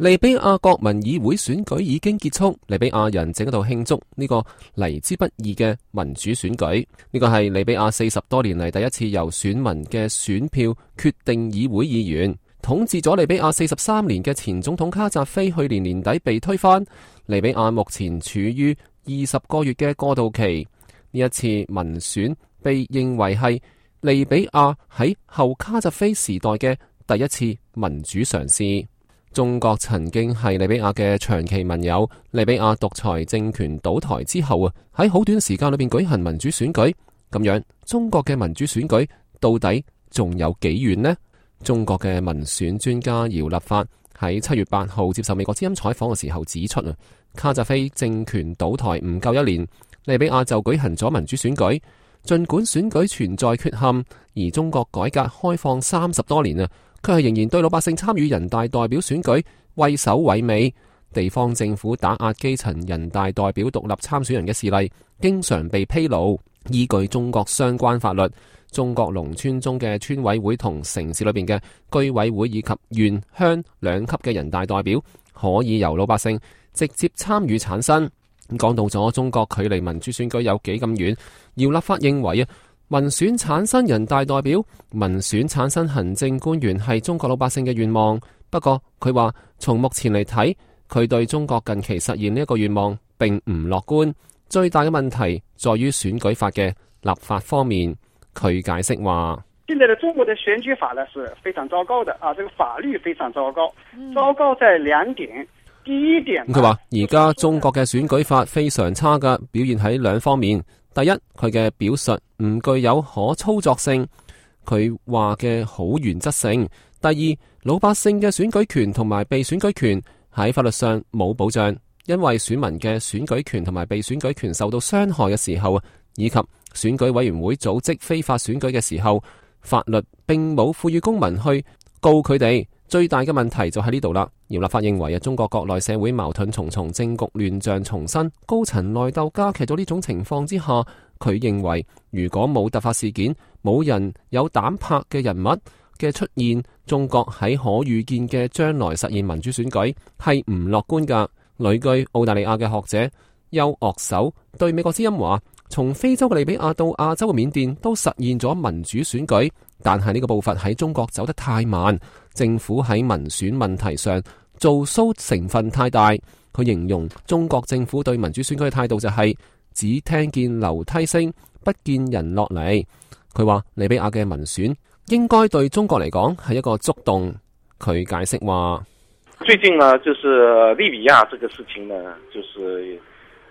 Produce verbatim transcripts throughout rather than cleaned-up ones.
利比亞國民議會選舉已經結束，利比亞人正喺度慶祝呢個嚟之不易嘅民主選舉。呢個係利比亞四十多年嚟第一次由選民嘅選票決定議會議員。統治咗利比亞四十三年嘅前總統卡扎菲去年年底被推翻。利比亞目前處於二十個月嘅過渡期。呢一次民選被認為係利比亞喺後卡扎菲時代嘅第一次民主嘗試。中國曾經係利比亞嘅長期盟友，利比亞獨裁政權倒台之後啊，喺好短時間裏邊舉行民主選舉，咁樣中國嘅民主選舉到底仲有幾遠呢？中國嘅民選專家姚立發喺七月八號接受美國之音採訪嘅時候指出啊，卡扎菲政權倒台唔夠一年，利比亞就舉行咗民主選舉，盡管選舉存在缺陷，而中國改革開放三十多年啊，佢係仍然對老百姓參與人大代表選舉畏首畏尾，地方政府打壓基層人大代表獨立參選人嘅事例經常被披露。依據中國相關法律，中國農村中嘅村委會同城市裏邊嘅居委會以及縣鄉兩級嘅人大代表可以由老百姓直接參與產生。講到咗中國距離民主選舉有幾咁遠，姚立發認為啊，民選產生人大代表、民選產生行政官員係中國老百姓嘅願望。不過佢話從目前嚟睇，佢對中國近期實現呢一個願望並唔樂觀。最大嘅問題在於選舉法嘅立法方面。佢解釋話：現在的中國的選舉法呢是非常糟糕的啊，這個法律非常糟糕，糟糕在兩點。第一點，佢話而家中國嘅選舉法非常差㗎，表現喺兩方面。第一，佢嘅表述唔具有可操作性，佢話嘅好原則性。第二，老百姓嘅選舉權同埋被選舉權喺法律上冇保障，因為選民嘅選舉權同埋被選舉權受到傷害嘅時候，以及選舉委員會組織非法選舉嘅時候，法律並冇賦予公民去告佢哋。最大嘅問題就喺呢度啦。姚立發認為啊，中國國內社會矛盾重重，政局亂象叢生，高層內鬥加劇咗呢種情況之下，佢認為如果冇突發事件，冇人有膽魄嘅人物嘅出現，中國喺可預見嘅將來實現民主選舉係唔樂觀噶。旅居澳大利亞嘅學者邱岳守對美國之音話：從非洲嘅利比亞到亞洲嘅緬甸都實現咗民主選舉，但係呢個步伐喺中國走得太慢，政府喺民選問題上做 show 成分太大。佢形容中國政府對民主選舉嘅態度就係只聽見樓梯聲，不見人落嚟。佢話利比亞嘅民選應該對中國嚟講係一個觸動。佢解釋話：最近呢，就是利比亞這個事情呢，就是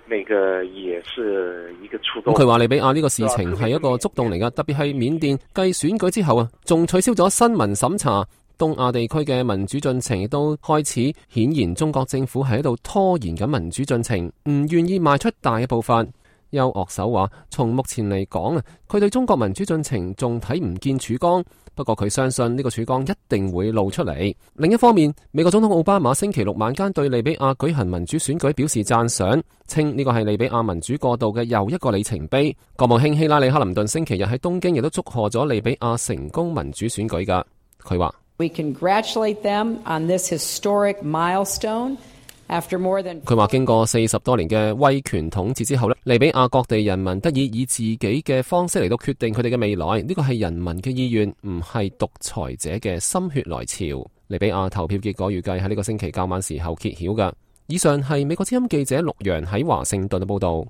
那個也是一個觸動。佢話利比亞呢個事情係一個觸動嚟噶，特別係緬甸繼選舉之後啊，仲取消咗新聞審查。東亞地區嘅民主進程亦都開始顯然，中國政府係喺度拖延緊民主進程，唔願意邁出大嘅步伐。邱岳守話：從目前嚟講啊，佢對中國民主進程仲睇唔見曙光。不過佢相信呢個曙光一定會露出嚟。另一方面，美國總統奧巴馬星期六晚間對利比亞舉行民主選舉表示讚賞，稱呢個係利比亞民主過渡嘅又一個里程碑。國務卿希拉里克林頓星期日喺東京亦都祝賀咗利比亞成功民主選舉噶。佢話：We congratulate them on this historic milestone. 佢話經過四十多年嘅威權統治之後咧，利比亞各地人民得以以自己嘅方式嚟到決定佢哋嘅未來，呢個係人民嘅意願，唔係獨裁者嘅心血來潮。利比亞投票結果預計喺呢個星期較晚時候揭曉㗎。以上係美國之音記者陸洋喺華盛頓嘅報道。